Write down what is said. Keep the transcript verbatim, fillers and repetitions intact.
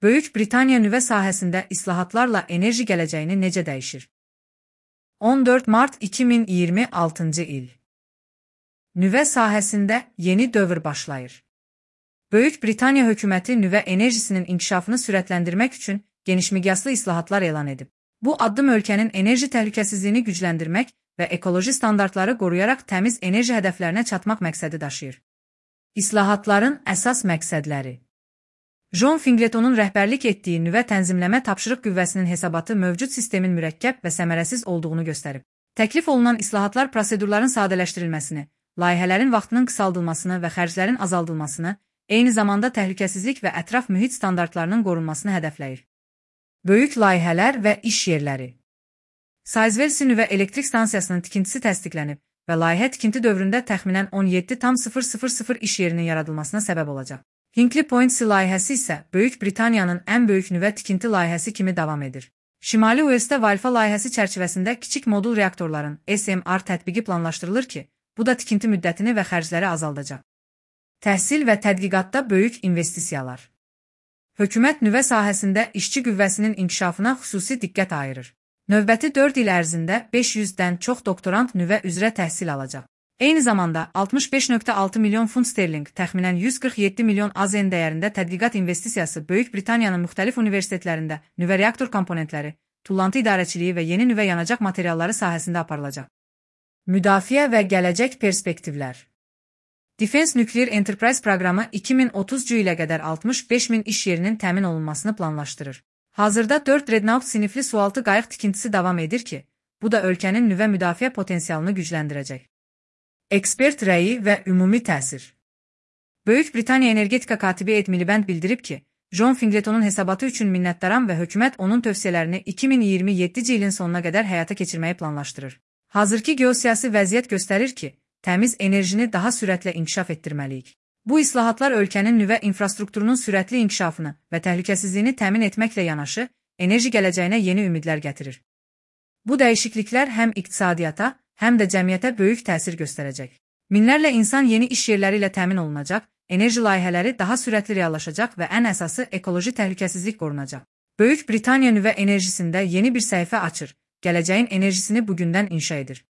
Böyük Britaniya nüvə sahəsində islahatlarla enerji gələcəyini necə dəyişir? on dörd mart iki min iyirmi altıncı il. Nüvə sahəsində yeni dövr başlayır. Böyük Britaniya hökuməti nüvə enerjisinin inkişafını sürətləndirmək üçün genişmiqyaslı islahatlar elan edib. Bu addım ölkənin enerji təhlükəsizliyini gücləndirmək və ekoloji standartları qoruyaraq təmiz enerji hədəflərinə çatmaq məqsədi daşıyır. İslahatların əsas məqsədləri. John Fingletonun rəhbərlik etdiyi nüvə tənzimləmə tapşırıq qüvvəsinin hesabatı mövcud sistemin mürəkkəb və səmərəsiz olduğunu göstərib. Təklif olunan islahatlar prosedurların sadələşdirilməsini, layihələrin vaxtının qısaldılmasını və xərclərin azaldılmasını, eyni zamanda təhlükəsizlik və ətraf mühit standartlarının qorunmasını hədəfləyir. Böyük layihələr və iş yerləri. Sizewell nüvə elektrik stansiyasının tikintisi təsdiqlənib və layihə tikinti dövründə təxminən on yeddi min iş yerinin yaradılmasına səbəb olacaq. Hinkley Point C layihəsi isə Böyük Britaniyanın ən böyük nüvə tikinti layihəsi kimi davam edir. Şimali Uelsdə Valfa layihəsi çərçivəsində kiçik modul reaktorların S M R tətbiqi planlaşdırılır ki, bu da tikinti müddətini və xərcləri azaldacaq. Təhsil və tədqiqatda böyük investisiyalar. Hökumət nüvə sahəsində işçi qüvvəsinin inkişafına xüsusi diqqət ayırır. Növbəti dörd il ərzində beş yüzdən çox doktorant nüvə üzrə təhsil alacaq. Eyni zamanda altmış beş nöqtə altı milyon funt sterling, təxminən yüz qırx yeddi milyon A Z N dəyərində tədqiqat investisiyası Böyük Britaniyanın müxtəlif universitetlərində nüvə reaktor komponentləri, tullantı idarəçiliyi və yeni nüvə yanacaq materialları sahəsində aparılacaq. Müdafiə və gələcək perspektivlər. Defense Nuclear Enterprise proqramı iki min otuzuncu ilə qədər altmış beş min iş yerinin təmin olunmasını planlaşdırır. Hazırda dörd Dreadnought sinifli sualtı qayıq tikintisi davam edir ki, bu da ölkənin nüvə müdafiə potensialını gücləndirəcək. Ekspert rəyi və ümumi təsir. Böyük Britaniya energetika katibi Ed Miliband bildirib ki, John Fingletonun hesabatı üçün minnətdaram və hökumət onun tövsiyələrini iki min iyirmi yeddinci ilin sonuna qədər həyata keçirməyi planlaşdırır. Hazırki geosiyasi vəziyyət göstərir ki, təmiz enerjini daha sürətlə inkişaf etdirməliyik. Bu islahatlar ölkənin nüvə infrastrukturunun sürətli inkişafını və təhlükəsizliyini təmin etməklə yanaşı, enerji gələcəyinə yeni ümidlər gətirir. Bu dəyişikliklər həm iqtisadiyyata, həm də cəmiyyətə böyük təsir göstərəcək. Minlərlə insan yeni iş yerləri ilə təmin olunacaq, enerji layihələri daha sürətli reallaşacaq və ən əsası ekoloji təhlükəsizlik qorunacaq. Böyük Britaniya nüvə enerjisində yeni bir səhifə açır, gələcəyin enerjisini bugündən inşa edir.